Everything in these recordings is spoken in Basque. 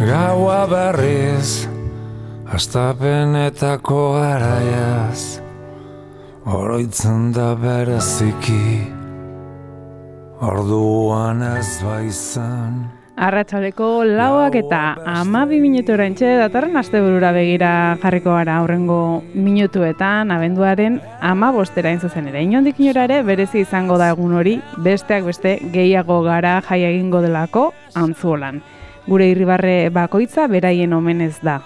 Gaua berriz, hastapenetako garaiaz, oroitzen da bereziki, orduan ez baizan. Arratsaldeko 4 eta 12 minuturentxe datorren asteburura begira jarriko gara aurrengo minutuetan, abenduaren 15 zuzen ere. Inondik inora ere berezi izango da egun hori, besteak beste gehiago gara jai egingo delako Antzuolan. Gure irribarre bakoitza beraien omenez da.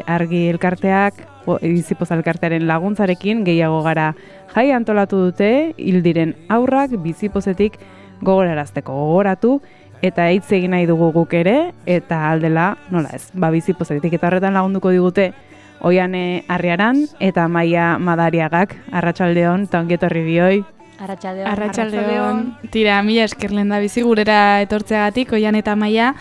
Argi elkarteak, Bizipoz elkartearen laguntzarekin gehiago gara jai antolatu dute, hil diren haurrak Bizipozetik gogoratu eta hitz egin nahi dugu guk ere, eta aldela, nola ez, Bizipozetik eta horretan lagunduko digute Oiane Arriaran eta Maia Madariagak. Arratsaldeon, eta ongi etorri bioi. Arratsaldeon. Tira, mila esker lenda bizi gurera etortzeagatik, Oian eta Maia.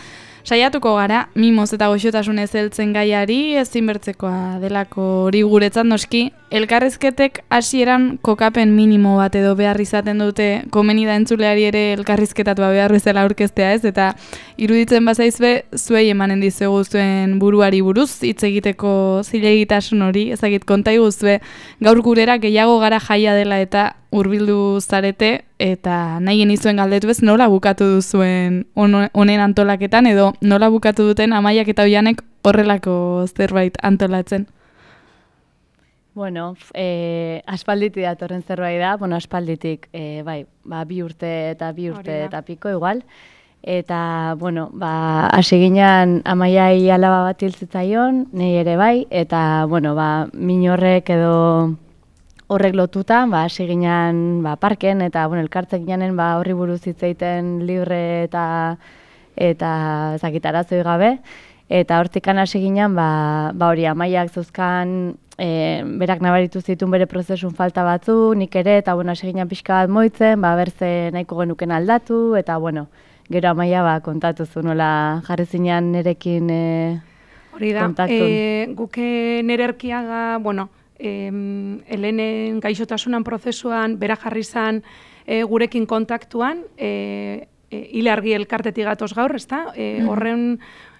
Saiatuko gara, mimoz eta goxotasunez heltzen gaiari, ezinbertzekoa delako hori guretzat noski. Elkarrizketek hasieran kokapen minimo bat edo behar izaten dute, komeni da entzuleari ere elkarrizketatua behar bezala aurkeztea ez, eta iruditzen bazaizue zuei emanen dizuegu zuen buruari buruz, hitz egiteko zilegitasun hori, ezagit konta iguzue, gaur gurera gehiago gara jaia dela eta hurbildu zarete, eta nahi genizuen galdetu ez nola bukatu duzuen honen antolaketan, edo nola bukatu duten Amaiak eta Oianek horrelako zerbait antolatzen. Bueno, aspalditik datorren zerbait da, aspalditik, bai, 2 urte eta piko igual. Eta, hasi ginen Amaiai alaba bat hil zitzaion, nahi ere bai, eta, min horrek edo horrek lotuta, hasi ginen parken, eta, elkartzek ginen horri buruz hitz egiten libre eta zakitarazoi gabe. Eta hortikan hasi ginen, hori Amaiak zeuzkan, berak nabaritu zituen bere prozesun falta batzu, nik ere, eta hasi ginen pixka bat moitzen, berze nahiko genuken aldatu, eta gero Amaia kontatu zu nola jarri zinean nerekin kontaktun. Hori da, guke nere Erkiaga, Helenen gaixotasunan prozesuan, bera jarri zan gurekin kontaktuan, hile argi elkartetik gatoz gaur, ezta? Horren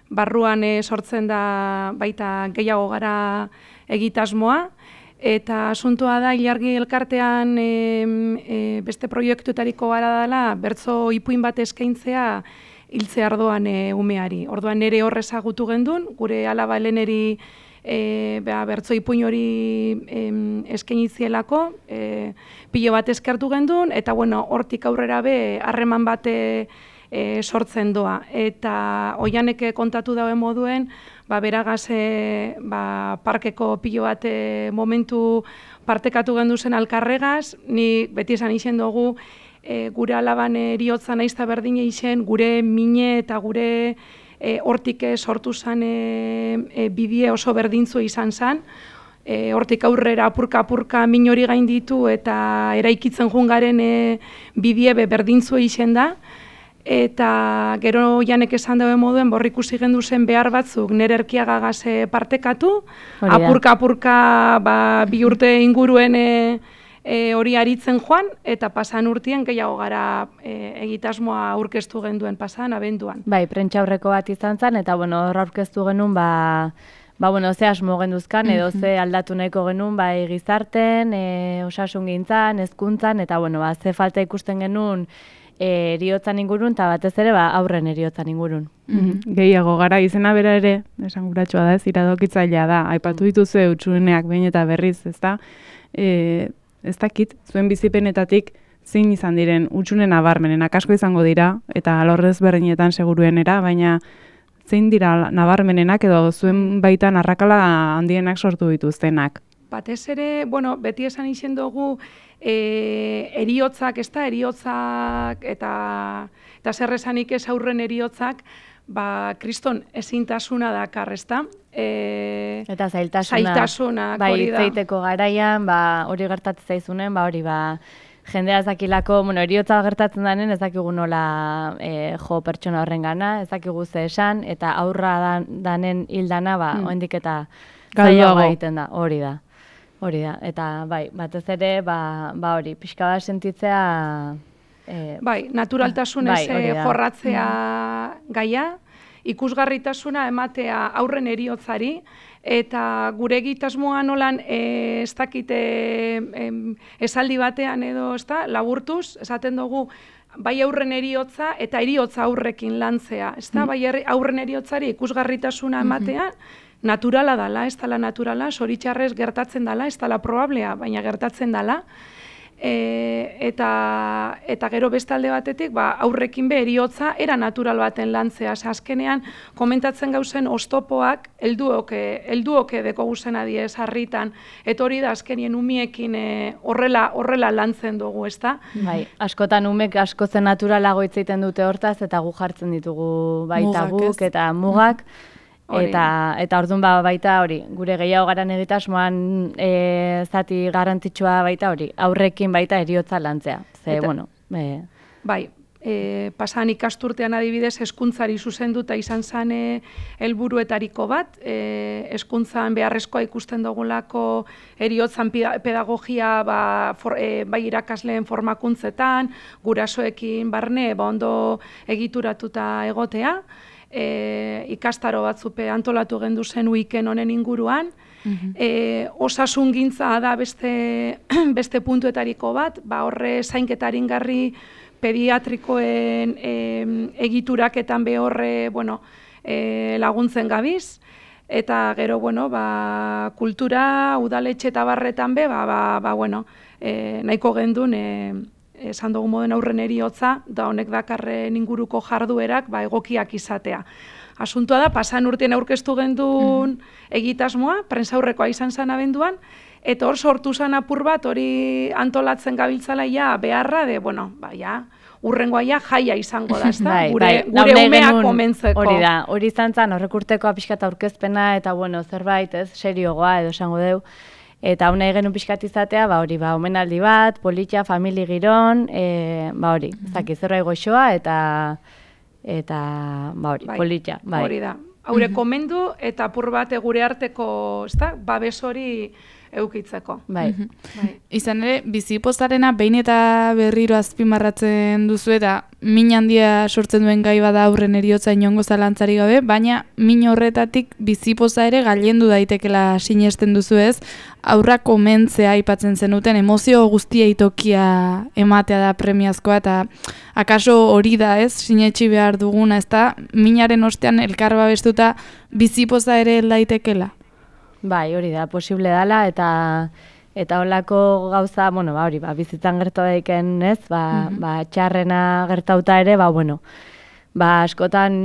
barruan sortzen da baita gehiago gara egitasmoa, eta asuntoa da Ilargi elkartean beste proiektuetariko gara dela bertso ipuin bat eskaintzea hiltze ardoan umeari. Orduan nere hor ezagutu gendun, gure alaba Heleneri bertso ipuin hori eskainizielako, pilo bat eskertu gendun, eta hortik aurrera be harreman bat sortzen doa. Eta Oianek kontatu dauen moduen, beragaz parkeko pilo bat momentu partekatu gendu zen alkarregaz, ni beti esan izen dugu gure alaban eriotza naizta berdine izen, gure mine eta gure hortik sortu zen bidie oso berdintzu izan zen, hortik aurrera apurka min hori gainditu eta eraikitzen jungaren bidie berdintzu izen da. Eta gero Janek esan dauen moduen ikusi gendu zen behar batzuk nere Erkiagagaz partekatu, apurka 2 urte inguruen hori aritzen joan, eta pasan urtien gehiago gara egitasmoa aurkeztu genduen pasan abenduan. Bai, prentsa aurreko bat izan zen, eta hor aurkeztu genuen, ze asmo genduzkan, edo ze aldatu nahiko genuen, gizarten, osasun gintzan, hezkuntzan, eta ze falta ikusten genuen, eriotzan ingurun, eta batez ere aurren eriotzan ingurun. Gehiago gara izena bera ere, esan guratxoa da ez, iradokitzailea da, aipatu dituzue utsuneak behin eta berriz, ezta? Ez dakit, zuen bizipenetatik zein izan diren utsunen nabarmenenak asko izango dira, eta alorrez berdinetan seguruenera, baina zein dira nabarmenenak edo zuen baitan arrakala handienak sortu dituztenak? Batez ere, beti esan izen dugu, eriotzak, eriotzak eta zer esanik ez aurren eriotzak, kriston ezintasuna dakar, ezta? Eta zailtasunak hori da. Zeiteko garaian, hori gertatzen zaizunen, jendea ezakilako, eriotza gertatzen denen, ezakigu nola pertsona horren gana, ezakigu ze esan, eta aurra danen hildana, oendik eta zailago egiten da, hori da. Eta batez ere, hori, pixka bat sentitzea naturaltasunez jorratzea gaia, ikusgarritasuna ematea aurren heriotzari, eta gure egitasmoa nolan ez dakite esaldi batean edo laburtuz, esaten dugu bai aurren heriotza eta heriotza aurrekin lantzea, bai aurren heriotzari ikusgarritasuna ematea, naturala dala, ez dala naturala, zoritxarrez gertatzen dala, ez dala probablea, baina gertatzen dala, eta gero bestalde batetik aurrekin be heriotza era natural baten lantzea. Azkenean komentatzen gauzen oztopoak helduoke deko guzena diez harritan, eta hori da azkenien umiekin horrela lantzen dugu, ezta? Bai, askotan umek askozen naturalago hitz egiten dute hortaz, eta gu jartzen ditugu baita guk eta mugak. Eta orduan baita hori, gure gehiago garan egitasmoan zati garrantzitsua baita hori, aurrekin baita heriotza lantzea. Bai, pasan ikasturtean adibidez hezkuntzari zuzenduta izan zen helburuetariko bat, hezkuntzan beharrezkoa ikusten dugulako heriotzan pedagogia bai irakasleen formakuntzetan, gurasoekin barne ondo egituratuta egotea, ikastaro batzupe antolatu gendu zen uiken honen inguruan, osasungintza da beste puntuetariko bat, horre zainketaringarri pediatrikoen egituraketan behorre laguntzen gabiz, eta gero kultura, udaletxe eta barretan be, nahiko gendun esan dugu moden aurren heriotza, da honek dakarren inguruko jarduerak egokiak izatea. Asuntua da, pasan urtean aurkeztu gendun egitasmoa, prentsaurrekoa izan zen abenduan, eta hor sortu zen apur bat, hori antolatzen gabiltzala beharra, urrengoa jaia izango da, gure umeak komentzeko. Hori da, hori izan zen horrek urtekoa pixkat aurkezpena, eta zerbait, seriogoa edo esango deu. Eta hona genuen pixkat izatea, omenaldi bat, politxa, famili giron, hori, zerbait goxoa eta politxa. Hori da, haure komendu eta apur bat gure arteko, babes hori eukitzeko. Izan ere, bizipozarena behin eta berriro azpimarratzen duzu eta min handia sortzen duen gai bada aurren heriotza inongo zalantzari gabe, baina min horretatik bizipoza ere gailendu daitekela sinesten duzu ez, aurra komentzea aipatzen zenuten, emozio guztia itokia ematea da premiazkoa, eta akaso hori da ez, sinetxi behar duguna, ez da, minaren ostean elkar babestuta bizipoza ere daitekela. Bai, hori da, posible dela, eta holako gauza, hori, bizitzan gertu daiken, ez, txarrena gertauta ere, askotan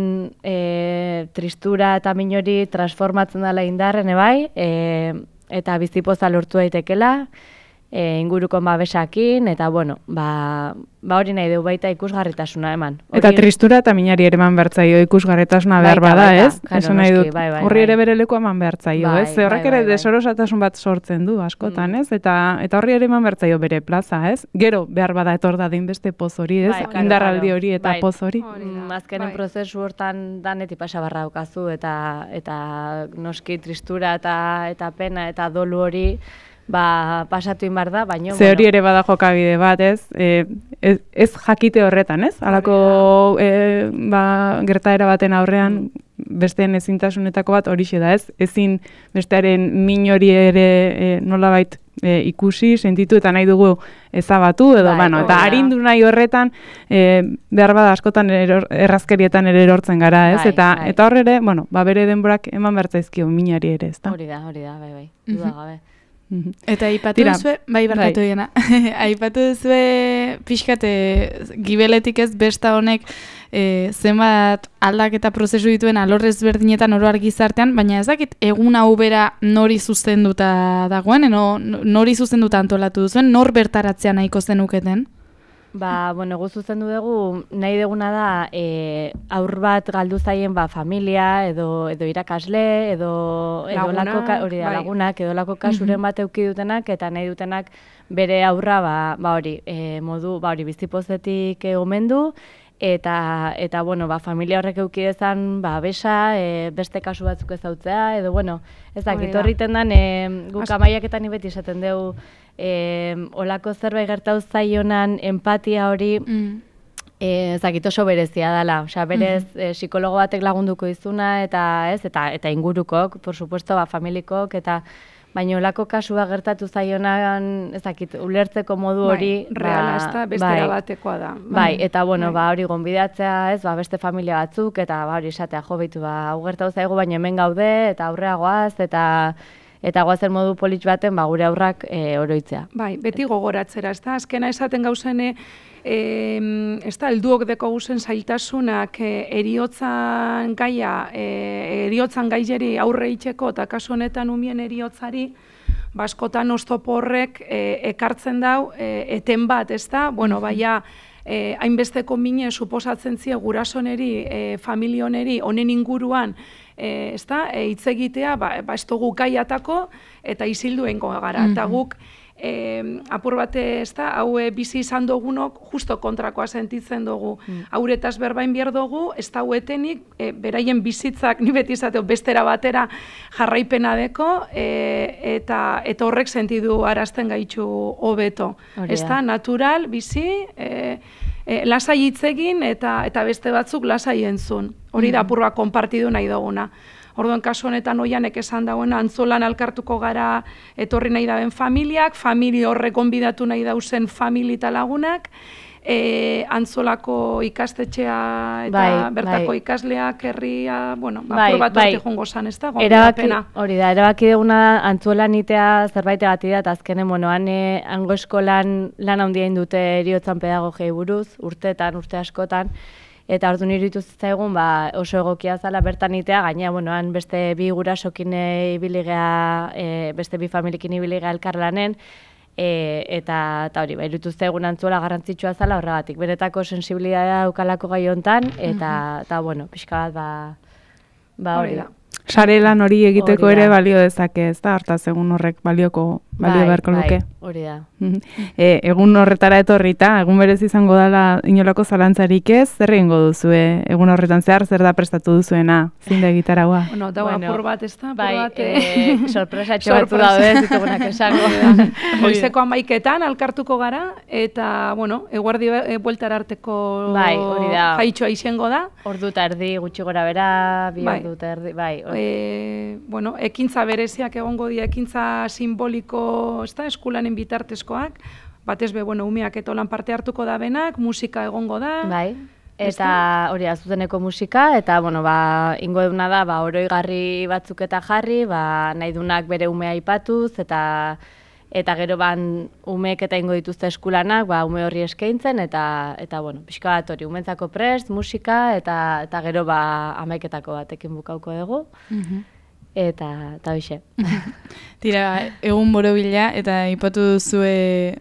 tristura eta min hori transformatzen dela indarren, eta bizipoza lortu daitekela, inguruko babesakin, eta hori nahi dugu baita ikusgarritasuna eman. Eta tristura eta minari ere eman behartzaio ikusgarritasuna behar bada, ez? Esan nahi dut, horri ere bere leku eman behartzaio, ez? Horrek ere desorosatasun bat sortzen du askotan, ez? Eta horri ere eman behartzaio bere plaza, ez? Gero behar bada etor dadin beste poz hori, ez? Indarraldi hori eta poz hori. Azkenen prozesu hortan danetik pasabarra daukazu, eta noski tristura eta pena eta dolu hori pasatu inbar da, baina... Ze hori ere bada jokabide bat, ez? Ez jakite horretan, ez? Halako gertaera baten aurrean besteen ezintasunetako bat horixe da, ez? Ezin bestearen min hori ere nolabait ikusi, sentitu eta nahi dugu ezabatu, edo, eta arindu nahi horretan behar bada askotan errazkerietan ere erortzen gara, ez? Eta horre ere, bere denborak eman bertzaizkio minari ere, ez da? Hori da, bai, dudagabe. Eta aipatu duzue, barkatu diena, aipatu duzue pixkate gibeletik ez besta honek zenbat aldaketa prozesu dituen alorrez berdinetan oro gizartean, baina ez dakit egun hau bera nori zuzenduta dagoen, nori zuzenduta antolatu duzuen, nor bertaratzea nahiko zenuketen? Gu zuzendu dugu, nahi duguna da aur bat galdu zaien familia, edo irakasle, edo lagunak, edo lako kasuren bat euki dutenak, eta nahi dutenak bere aurra modu bizipozetik omendu, eta familia horrek euki dezan besa, beste kasu batzuk ezautzea, edo ez dakit horriten den guk amaiaketan beti esaten dugu olako zerbait gertatu zaionan empatia hori Ezakit oso berezia dela, osea, berez psikologo batek lagunduko izuna eta ingurukok, por supuesto, familikok eta baina olako kasua gertatu zaionan, ezakit, ulertzeko modu hori, reala, ezta, bestera batekoa da. Bai, eta bueno, hori gonbidatzea, beste familia batzuk eta hori esatea jo beitu hau gertatu zaigu, baina hemen gaude eta aurrea goaz eta goazen modu polit baten gure aurrak oroitzea. Bai, beti gogoratzera, ezta, azkena esaten gauzene helduok deko guzen zailtasunak eriotzan eriotzan gaileri aurre itxeko eta kasu honetan umien eriotzari askotan oztopo horrek ekartzen dau eten bat, ezta? Bueno, baina hainbesteko mine suposatzen zie gurasoneri, familioneri, honen inguruan hitz egitea, ez dugu gaiatako eta isilduengo gara. Eta guk apur bate, hau bizi izan dugunok justo kontrakoa sentitzen dugu. Hauretaz berbain behar dugu, ez da huetenik, beraien bizitzak, ni beti izateo, bestera batera jarraipena deko, eta horrek sentidu arazten gaitxu hobeto. Ez da, natural, bizi, lasai hitz egin eta beste batzuk lasai entzun. Hori da apur bat konpartidu nahi duguna. Orduan, kasu honetan oianek esan dagoena, antzolan alkartuko gara etorri nahi daben familiak, familia horrek gonbidatu nahi dauzen famili eta lagunak, antzolako ikastetxea eta bertako ikasleak herria, bueno, apur bat hortik jongo zan, ez da, gonbidapena. Hori da, erabaki duguna antzolan itea zerbait egati da, eta azkenen, bueno, hango eskolan lan handia indute eriotzan pedagogiei buruz, urte askotan, eta ordu niritu zitzaigun oso egokia zala bertan itea, gaina, bueno, han beste bi gurasokin ibiligea, beste bi familikin ibiligea elkarlanen, eta hori, iritu zitzaigun antzuela garrantzitsua zala horregatik. Benetako sensibilitatea daukalako gai hontan, eta bueno, pixka bat, hori da. Sare lan hori egiteko ere balio dezake, ez da? Hortaz, egun horrek balio beharko luke. Hori da. Egun horretara etorrita, egun berez izango dela inolako zalantzarik ez, zer egingo duzue? Egun horretan zer da prestatu duzuena, zinde gitaragua? Bueno, dago apur bat, ez da? Sorpresatxo batzu daude, zitugunak esango. Goizeko 11etan alkartuko gara, eta, bueno, eguerdi bueltara arteko jaitxoa izango da. Ordu eta erdi, gutxi gora bera, bi ordu eta erdi, bueno, ekintza bereziak egongo dira, ekintza simboliko, ez da, eskulanen bitartezkoak, batez be, bueno, umeak eta lan parte hartuko da benak, musika egongo da. Bai, eta hori zuzeneko musika, eta, bueno, ingo duna da, oroigarri batzuk eta jarri, nahi dunak bere umea aipatuz, eta gero umeek eta ingo dituzte eskulanak, ume horri eskaintzen, eta bueno, pixka bat hori, umentzako prest, musika, eta gero 11etako batekin bukauko dugu, eta hoxe. Tira, egun borobila, eta aipatu duzue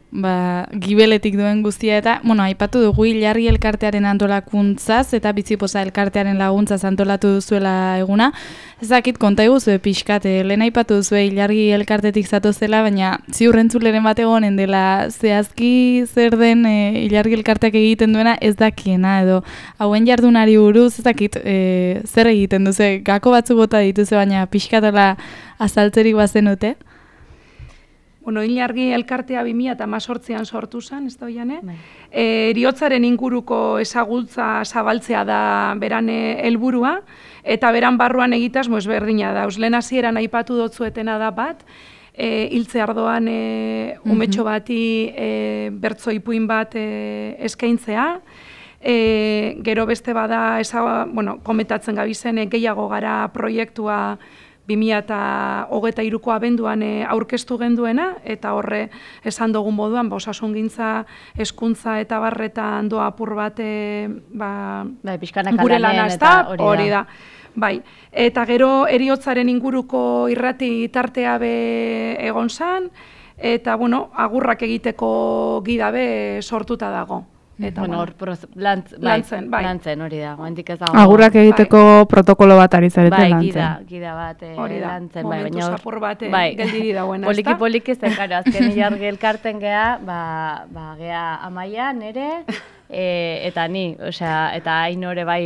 gibeletik duen guztia, eta, bueno, aipatu dugu Ilargi elkartearen antolakuntzaz, eta Bizipoza elkartearen laguntzaz antolatu duzuela eguna. Ezakit, konta eguzue pixkat, lehen aipatu duzue Ilargi elkartetik zatozela, baina ziurrentzuleren bat egonen dela zehazki zer den Ilargi elkarteak egiten duena ez dakiena, edo hauen jardunari buruz, ezakit, zer egiten duzu, gako batzu bota dituzu, baina pixkatola azaltzerik bazenute? Bueno, Ilargi elkartea 2018an sortu zen, ez da oiane? Eriotzaren inguruko ezagutza zabaltzea da beran helburua, eta beran barruan egitaz ezberdina da. Lehen hasieran aipatu dotzuetena da bat, hiltze ardoan umetxo bati bertso ipuin bat eskaintzea, gero beste bada, komentatzen gabizen gehiago gara proiektua 2023ko abenduan aurkeztu genduena, eta horre esan dugun moduan, osasungintza, hezkuntza eta barretan doa apur bat gure lana, ez da, hori da. Bai, eta gero eriotzaren inguruko irrati tartea be egon zan, eta, bueno, agurrak egiteko gidabe sortuta dago. Eta, bueno, lantzen, hori da, guantik ez dago. Agurrak egiteko protokolo bat ari zareten lantzen. Bai, gida bat lantzen. Momentu zapur bat geldiri dagoena, ez da? Poliki zen, karo, azken Ilargi elkarten geha, geha Amaia, nere, eta ni, osea, eta hain hori bai,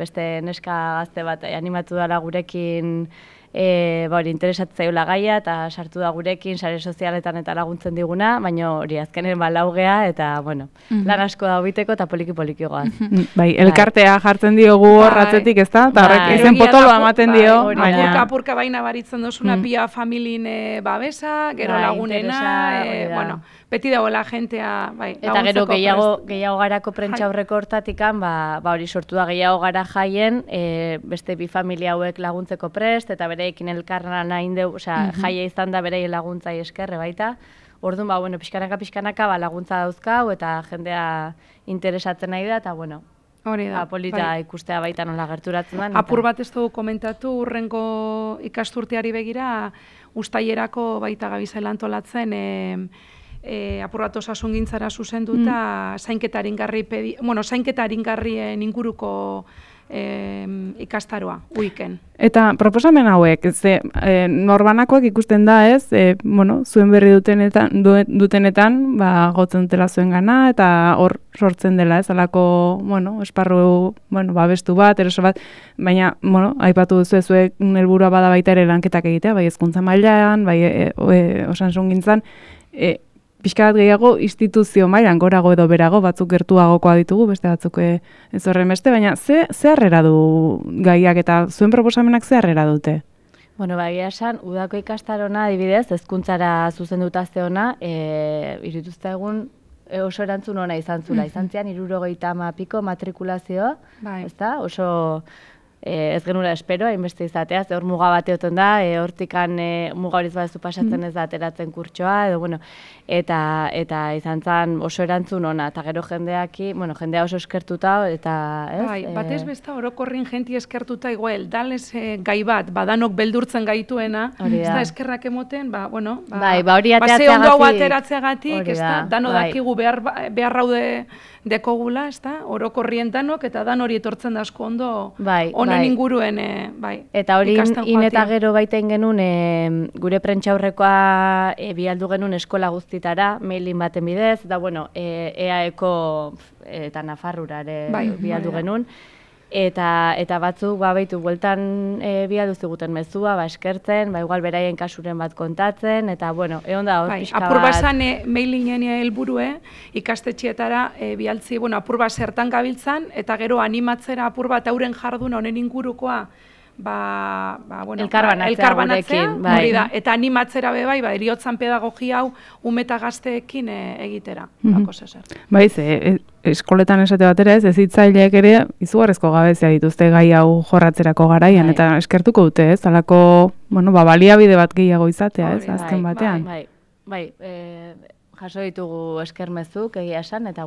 beste neska gazte bat animatu dala gurekin hori interesatzaiola gaia eta sartu da gurekin sare sozialetan eta laguntzen diguna, baina hori azkenen laugea eta bueno, lan asko da biteko eta poliki goaz. Bai, elkartea jartzen diogu horratzetik, ezta? Eta horrek izen potoloa ematen dio, baina apurka baina baritzen dozuna pia familin babesa, gero lagunena, bueno, beti dagoela jentea, bai, eta gero gehiago garako prentsa aurreko hortatikan, hori sortu da gehiago gara jaien, beste bi familia hauek laguntzeko prest, eta bereekin elkarra nahi deu, jaia izan da bereien laguntzai eskerre baita. Orduan, bueno, pixkanaka laguntza dauzkau, eta jendea interesatzen nahi da, eta bueno, polita ikustea baita nola gerturatzen da. Apur bat ez dugu komentatu, urrengo ikasturteari begira, ustaierako baita gabizela antolatzen, apur bat osasungintzara zuzenduta, zainketa aringarrien inguruko ikastaroa, uiken. Eta proposamen hauek, norbanakoak ikusten da, zuen berri dutenetan, gotzen dutela zuen gana, eta hor sortzen dela, alako, esparru, babestu bat, eroso bat, baina, aipatu duzu zuek helburua bada baita ere lanketak egitea, bai hezkuntza mailan, bai osasungintzan, pixka bat gehiago instituzio mailan gorago edo berago, batzuk gertuagokoa ditugu, beste batzuk ez horren beste, baina ze harrera du gaiak eta zuen proposamenak ze harrera dute? Bueno, egia esan, udako ikastarona adibidez, hezkuntzara zuzenduta zeona, irituzta egun oso erantzun ona izan zula. Izan zian, 70 piko matrikulazioa, ezta? Oso ez genura espero, hainbeste izatea, hor muga bat egoten da, hortikan muga horiz badezu pasatzen ez da ateratzen kurtsoa, edo bueno, eta izan zen oso erantzun ona, eta gero jendea oso eskertuta, eta ez? Bai, batez besta orokorrin jenti eskertuta igual, dales gai bat, badanok beldurtzen gaituena, ez da eskerrak emoten, hori ze ondo hau ateratzeagatik, ez da, dano dakigu behar raude dekogula, ez da, orokorrien danok, eta dan hori etortzen da asko ondo, honen inguruen, eta hori eta gero baiten genuen, gure prentxaurrekoa bialdu genuen eskola guztitara, mailin baten bidez, eta bueno, EAeko eta Nafarrura ere bialdu genuen, eta batzuk baitu bueltan bialdu ziguten mezua, eskertzen, igual beraien kasuren bat kontatzen, eta bueno, egon da hor pixka bat. Apur basan mailinen helburue, ikastetxietara bialtzi, apur bat zertan gabiltzan, eta gero animatzera apur bat euren jardun honen ingurukoa, elkarbanatzea, hori da, eta animatzera be eriotzan pedagogia hau umeta gazteekin egitera, bako zezer. Baiz, eskoletan esate batera ez hitzaileek ere izugarrizko gabezia dituzte gai hau jorratzerako garaian, eta eskertuko dute ez, alako, baliabide bat gehiago izatea ez, azken batean. Bai, jaso ditugu eskermezuk egia esan, eta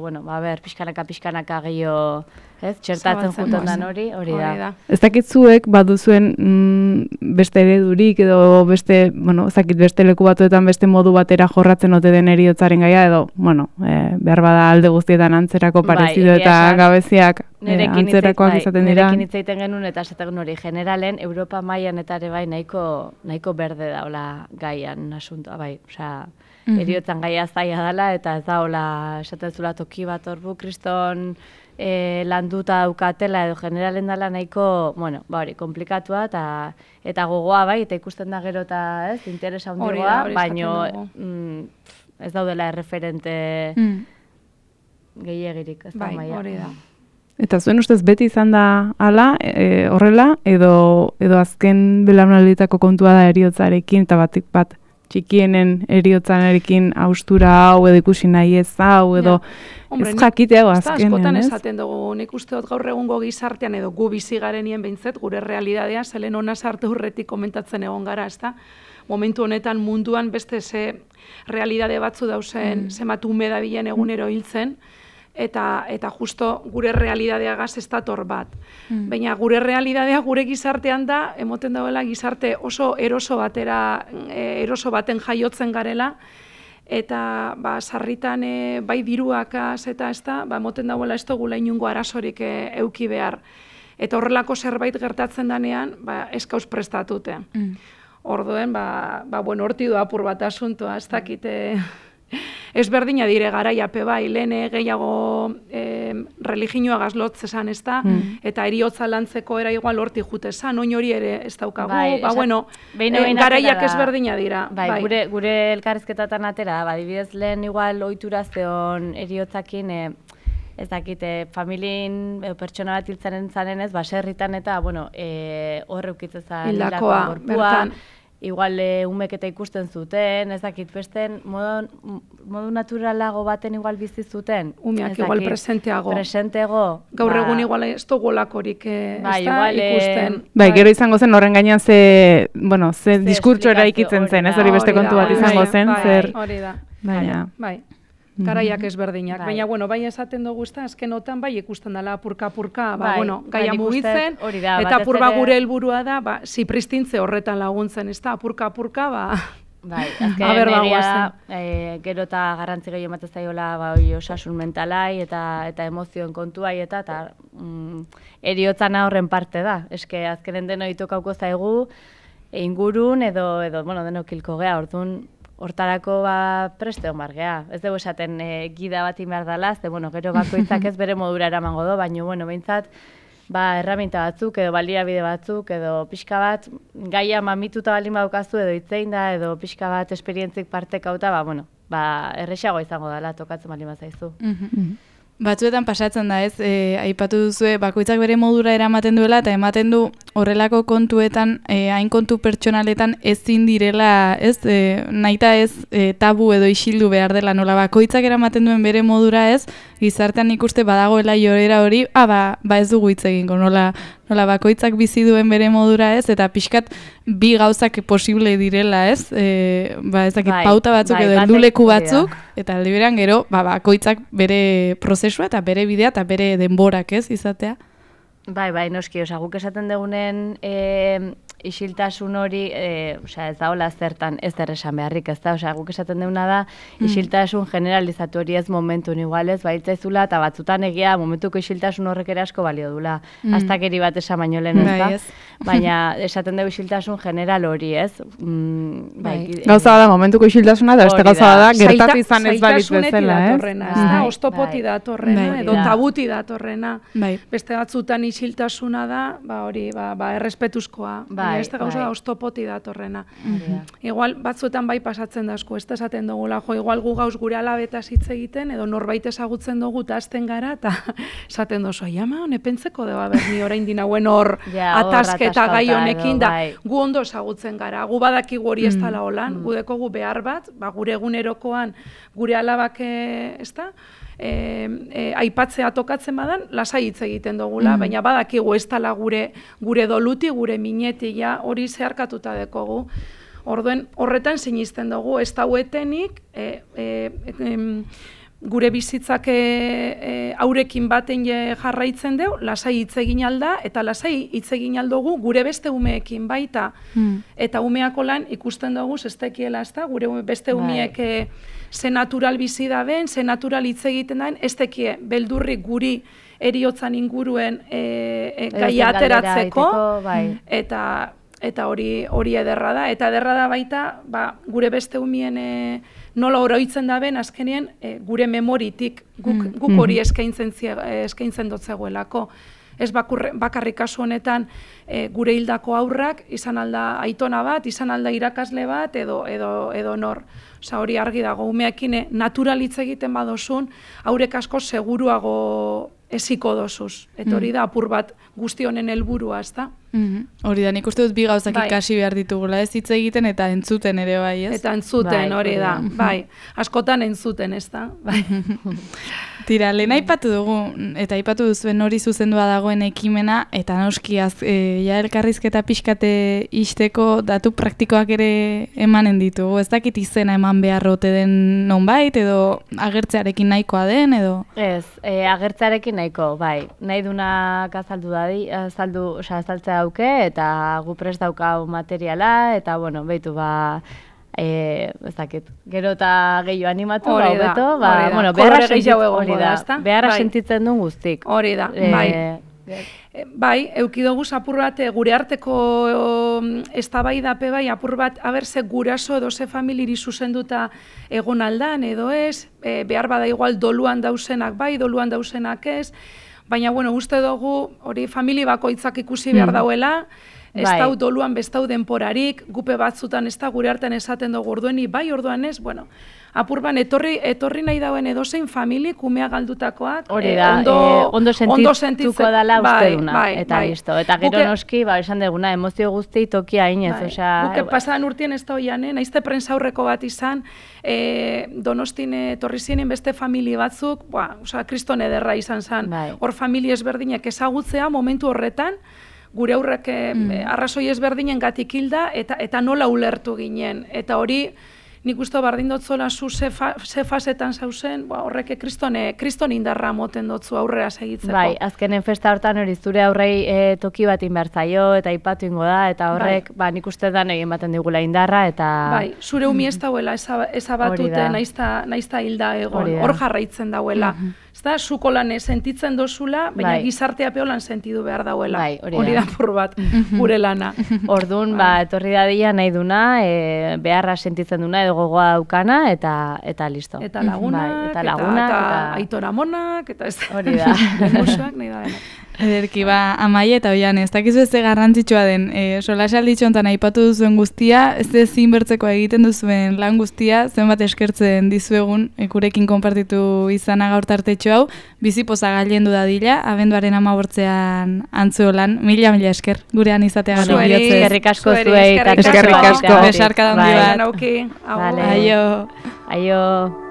pixkanaka gehiago txertatzen juten dan hori da. Ez dakitzuek baduzuen beste eredurik edo beste leku batuetan beste modu batera jorratzen ote den heriotzaren gaia edo, behar bada alde guztietan antzerako parezido eta gabeziak antzerakoak izaten dira. Nerekin hitz egiten genuen eta esaten hori generalen, Europa mailan eta ere nahiko berde daula gaian asuntoa, heriotzan gaia zaila dela eta ez daula esaten zula toki bat horbu kriston landuta daukatela edo generalen dela nahiko, komplikatua eta gogoa eta ikusten da gero eta interesa handigoa, baino ez daudela erreferente gehiegirik, ez da maia. Hori da. Eta zuen ustez beti izan da hala, horrela, edo azken belaunaldietako kontua da eriotzarekin eta batik bat txikienen eriotzanarekin haustura hau edo ikusi nahi ez hau edo ez jakitea azkenean, ez? Askotan esaten dugu, nik uste dut gaur egungo gizartean edo gu bizi garenien behintzet, gure realidadea zelen ona sartu urretik komentatzen egon gara, ez da? Momentu honetan munduan beste ze realidade batzu dauzen, zenbat ume dabilen egunero hiltzen, eta justo gure realidadeagaz ez dator bat. Baina gure realidadea gure gizartean da, emoten dauela gizarte oso eroso baten jaiotzen garela, eta sarritan bai diruakaz eta ez da, emoten dauela ez dugula inungo arazorik euki behar. Eta horrelako zerbait gertatzen danean, eskauz prestatute. Orduen, horti du apur bat asuntoa, ez dakite... ezberdina dire garaiape bai, lehen gehiago religioa gazlotz esan ez da, eta eriotza lantzeko era igual horti jute esan, oin hori ere ez daukagu, Bai, bueno, garaiak ezberdina dira. Bai, gure elkarrizketatan atera, adibidez lehen igual ohitura zeon eriotzakin, ez dakit, familien pertsona bat hiltzaren zanen ez, baserritan eta, bueno, horre ukitzezan hildakoa, bertan. Igual umeketa ikusten zuten, ez dakit, besten modu naturalago baten igual bizi zuten. Umeak igual presenteago. Gaur egun igual ez dugolakorik ikusten. Bai, gero izango zen horren gainean ze diskurtso eraikitzen zen, ez hori beste kontu bat izango zen, zer. Hori da. Bai. Garaiak ezberdinak. Baina, bueno, bai esaten dugu ezta, azkenotan bai ikusten dela apurka, gaia mugitzen, eta apurba gure helburua da, zipristintze horretan laguntzen, ez da, apurka, Bai, azken egia da, gero eta garrantzi gehiago ematen zaiola osasun mentalai eta emozioen kontuai eta eriotzana horren parte da. Eske azkenen deno itokauko zaigu, ingurun edo denok hilko gea, orduan hortarako preste hon bargea. Ez dugu esaten gida bat behar dela, gero bakoitzak ez bere modura eramango do, baina behintzat erraminta batzuk edo baliabide batzuk edo pixka bat gaia mamituta balin badaukazu edo hitzein da edo pixka bat esperientzik partekauta, erresago izango dela tokatzen balin bazaizu. Batzuetan pasatzen da, ez, aipatu duzue, bakoitzak bere modura eramaten duela, eta ematen du horrelako kontuetan, hain kontu pertsonaletan ezin direla, ez, nahita ez tabu edo isildu behar dela, nola bakoitzak eramaten duen bere modura, ez, gizartean ikuste badagoela joera hori, ez dugu hitz egingo, nola bakoitzak bizi duen bere modura, ez, eta pixkat bi gauzak posible direla, ez, ez dakit pauta batzuk edo helduleku batzuk, eta aldi berean gero, bakoitzak bere prozesua eta bere bidea eta bere denborak, ez, izatea. Bai, noski, guk esaten dugunen isiltasun hori, ez da hola zertan ez esan beharrik, ez da, guk esaten duguna da, isiltasun generalizatu hori ez momentun igualez, baitzaizula, eta batzutan egia momentuko isiltasun horrek ere asko balio dula, astakeri bat esan baino lehen, ez da, baina esaten dugu isiltasun general hori, ez? Gauza da, momentuko isiltasuna, eta beste gauza da, gertatu izan ez balitz bezala, ez? Ostopoti datorrena, edo tabuti datorrena, beste batzutan isiltasuna da, hori, errespetuzkoa, beste gauza da ostopoti datorrena. Igual, batzuetan bai pasatzen da asko, ez da esaten dugula, igual gu gauz gure alabetaz hitz egiten, edo norbait ezagutzen dugu eta azten gara, eta esaten dozu, nepentzeko deba berni orain dinauen hor atasketa gai honekin, da gu ondo ezagutzen gara, gu badakigu hori ez dala holan, gu dekogu behar bat, gure egunerokoan gure alabak, ez da, aipatzea tokatzen badan, lasai hitz egiten dugula, baina badakigu ez dala gure doluti, gure mineti, hori zeharkatuta dekogu. Orduen, horretan sinisten dugu, ez dauetenik, gure bizitzak aurekin baten jarraitzen dugu, lasai hitz egin alda, eta lasai hitz egin aldugu gure beste umeekin baita. Eta umeako lan ikusten dugu, ez tekiela, ez da, gure beste umeek ze natural bizi da ben, ze natural hitz egiten daen, ez tekie beldurrik guri eriotzan inguruen gaia ateratzeko, eta hori ederra da. Eta ederra da baita, gure beste umien nola oroitzen da ben, azkenien gure memoritik guk hori eskaintzen dotzegoelako. Ez bakarrik kasu honetan gure hildako aurrak, izan alda aitona bat, izan alda irakasle bat, edo nor. Osa hori argi dago, umeekin naturalitz egiten badozun, haurek asko seguruago eziko dozuz. Eta hori da apur bat guzti honen helburua, ez da? Hori da, nik uste dut bi gauzak ikasi behar ditugula, ez hitz egiten eta entzuten ere bai, ez? Eta entzuten, hori da, bai. Askotan entzuten, ez da? Tira, lehen aipatu dugu, eta aipatu duzuen hori zuzendua dagoen ekimena, eta noski elkarrizketa pixkate isteko datu praktikoak ere emanen ditugu. Ez dakit izena eman beharrote den nonbait, edo agertzearekin nahikoa den, edo? Ez, agertzearekin nahiko, bai. Nahi dunak azaltzea dauke, eta gu prest daukau materiala, eta, bueno, behitu, ez dakit, gero eta gehiago animatu, beharra sentitzen duen guztik. Hori da, bai. Bai, eukidogu apur bat gure arteko eztabaidape bai apur bat ze guraso edo ze familiri zuzenduta egon aldan edo ez, behar bada igual doluan dausenak bai, doluan dausenak ez, baina bueno, uste dugu hori famili bakoitzak ikusi behar dauela, ez dau doluan bestau denporarik, gupe batzutan ez da gure artean esaten dugu ordueni, bai orduan ez, bueno, apurban etorri nahi dauen edozein famili, kumea galdutakoak, ondo sentituko dela uste duna, eta listo. Eta gero noski, esan deguna, emozio guzti tokia inez, osea... Guke pasadan urtien ez da oian, naizte prensa aurreko bat izan, Donostin etorri zienen beste famili batzuk, osea, kriston ederra izan zen, hor famili ezberdinak ezagutzea momentu horretan, gure aurrek arrazoi ezberdinen gatik hilda, eta nola ulertu ginen, eta hori, nik uste bardin dotzola zu ze fasetan zauzen, horrek kriston indarra moten dotzu aurrera segitzeko. Bai, azkenen festa hortan hori zure aurrei toki bat inbertzaio eta ipatu ingo da, eta horrek nik uste da egin baten digula indarra, eta... Bai, zure umi ez dauela ezabatute, naizta hilda egon, hor jarraitzen dauela. Zda, zuko lan sentitzen dozula, baina gizartea peolan sentidu behar dauela. Hori da pur bat, gure lana. Orduan, etorri dadila nahi duna, beharra sentitzen duna, edo gogoa daukana, eta listo. Eta lagunak, eta aitora monak, eta ez da. Hori da. Musuak nahi da denak. Ederki, Amaia eta Oian, ez dakizu ez garrantzitsua den, solasalditxo honetan aipatu duzuen guztia, ez zinbertzeko egiten duzuen lan guztia, zenbat eskertzen dizuegun, gurekin konpartitu izana gaur tartetxo hau, bizipoza gailendu dadila, abenduaren 15ean Antzuolan, mila esker, gurean izateagatik. Eskerrik asko zuei. Eskerrik asko. Besarka da handi bat. Aio. Aio.